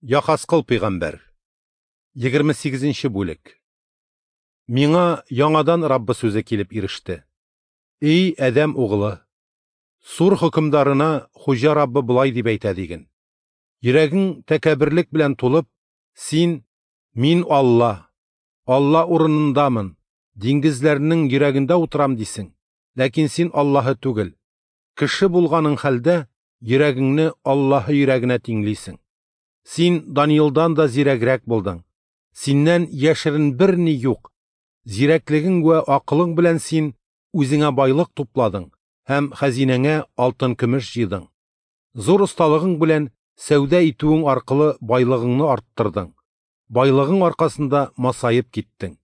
Яхаскыл пәйгамбәр. 28 нче бүлек. Миңа яңадан Раббы сүзе килеп иреште. Эй, Адәм угылы, Сур хөкемдарына Хуҗа Раббы болай дип әйтә диген: Йөрәгең тәкәбберлек белән тулып, син, Мин Алла, Алла урынындамын, диңгезләрнең йөрәгендә утырам дисең. Ләкин син Аллаһы түгел. Кеше булганың хәлдә йөрәгеңне Аллаһы йөрәгенә тиңлисең. Син Даниилдан да зирәгрәк булдың. Синнән яшерен берни юк. Зирәклегең вә акылың белән син үзеңә байлык тупладың һәм хәзинәңә алтын-көмеш җыйдың. Зур осталыгың белән сәүдә итүең аркылы байлыгыңны арттырдың. Байлыгың аркасында масаеп киттең.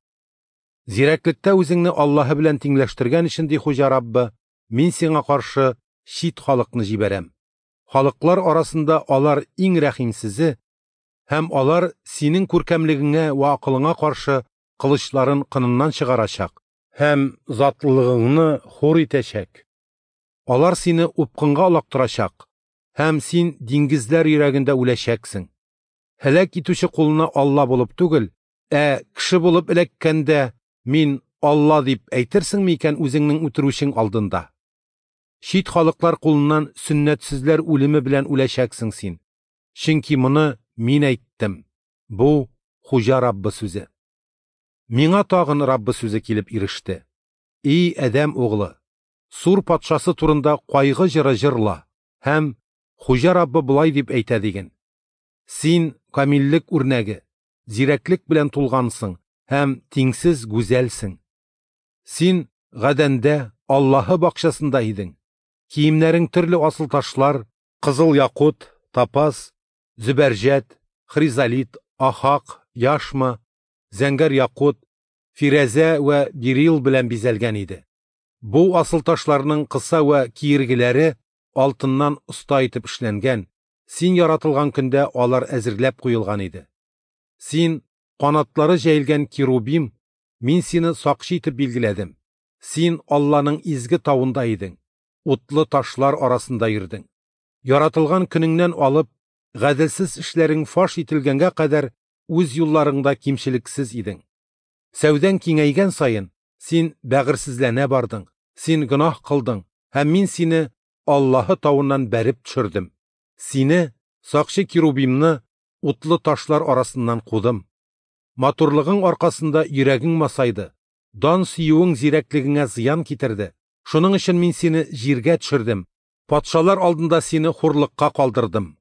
Зирәклектә үзеңне Аллаһы белән тиңләштергән өчен, ди Хуҗа Раббы, мин сиңа каршы чит халыкны җибәрәм. Халыклар арасында алар иң рәхимсезе, һәм алар синең күркәмлегеңә вә акылыңа каршы кылычларын кыныннан чыгарачак һәм затлылыгыңны хур итәчәк. Алар сине упкынга олактырачак, һәм син диңгезләр йөрәгендә үләчәксең. Һәлак итүче кулына Алла булып түгел, ә кеше булып эләккәндә, мин Алла дип әйтерсеңме икән үзеңнең үтерүчең алдында? Чит халыклар кулыннан сөннәтсезләр үлеме белән үләчәксең син. Чөнки моны мин әйттем. Бу Хуҗа Раббы сүзе. Миңа тагын Раббы сүзе килеп иреште. И Адәм углы, Сур патшасы турында кайгы җыры җырла һәм Хуҗа Раббы болай дип әйтә диген: Син камиллек үрнәге, зирәклек белән тулгансың һәм тиңсез гүзәлсең. Син Гадәндә, Аллаһы бакчасында идең. Киемнәрең төрле асыл ташлар, кызыл якут, топаз, зөбәрҗәт, хризолит, ахак, яшма, зәңгәр якут, фирәзә вә берил белән бизәлгән иде. Бу асыл ташларның кыса вә киергеләре алтыннан оста итеп эшләнгән, син яратылган көндә алар әзерләп куелган иде. Син канатлары җәелгән керубим, мин сине сакчы итеп билгеләдем. Син Алланың изге тавында идең, утлы ташлар арасында йөрдең. Яратылган көнеңнән алып, гаделсез эшләрең фаш ителгәнгә кадәр үз юлларыңда кимчелексез идең. Сәүдәң киңәйгән саен, син бәгырьсезләнә бардың, син гөнаһ кылдың, һәм мин сине Аллаһы тавыннан бәреп төшердем. Сине, сакчы керубимны, утлы ташлар арасыннан кудым. Матурлыгың аркасында йөрәгең масайды, дан сөюең зирәклегеңә зыян китерде. Шуның өчен мин сине җиргә төшердем, патшалар алдында сине хурлыкка калдырдым.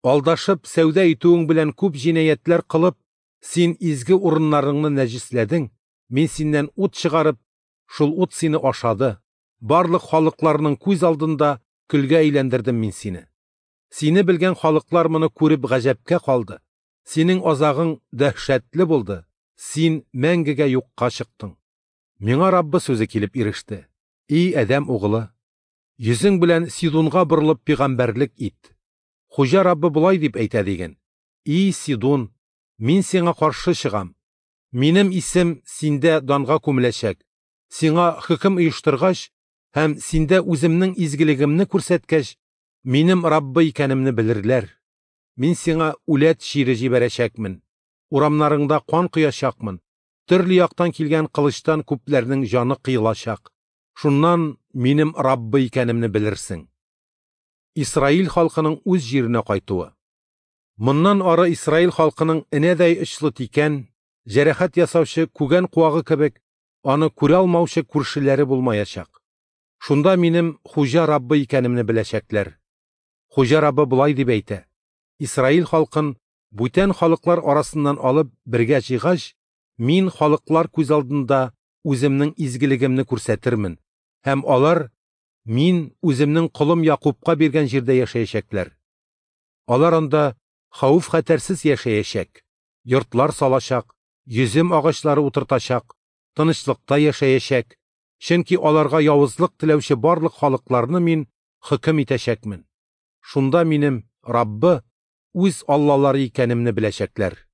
Алдашып, сәүдә итүең белән күп җинаятьләр кылып, син изге урыннарыңны нәҗесләдең, мин синнән ут чыгарып, шул ут сине ашады. Барлык халыкларның күз алдында көлгә әйләндердем мин сине. Сине белгән халыклар моны күреп гаҗәпкә калды. Синең азагың дәһшәтле булды. Син мәңгегә юкка чыктың. Миңа Раббы сүзе килеп иреште. И Адәм угылы, йөзең белән Сидунга борылып пәйгамбәрлек ит. Хуҗа Раббы болай дип әйтә диген: И Сидун, мин сиңа каршы чыгам. Минем исем синдә данга күмеләчәк. Сиңа хөкем оештыргач һәм синдә үземнең изгелегемне күрсәткәч, минем Раббы икәнемне белерләр. Мин сиңа үләт чире җибәрәчәкмен. Урамнарыңда кан коячакмын. Төрле яктан килгән кылычтан күпләрнең җаны кыелачак. Шуннан минем Раббы икәнемне белерсең. Исраил халкының үз җиренә кайтуы. Моннан ары Исраил халкының энәдәй очлы тикән, җәрәхәт ясаучы күгән куагы кебек, аны күрә алмаучы күршеләре булмаячак. Шунда минем Хуҗа Раббы икәнемне беләчәкләр. Хуҗа Раббы болай дип әйтә: Исраил халкын бүтән халыклар арасыннан алып бергә җыйгач, мин халыклар күз алдында үземнең изгелегемне күрсәтермен, һәм алар мин үземнең колым Якубка биргән җирдә яшәячәкләр. Алар анда хәвеф-хәтәрсез яшәячәк, йортлар салачак, йөзем агачлары утыртачак, тынычлыкта яшәячәк, чөнки аларга явызлык теләүче барлык халыкларны мин хөкем итәчәкмен. Шунда минем Раббы үз Аллалары икәнемне беләчәкләр.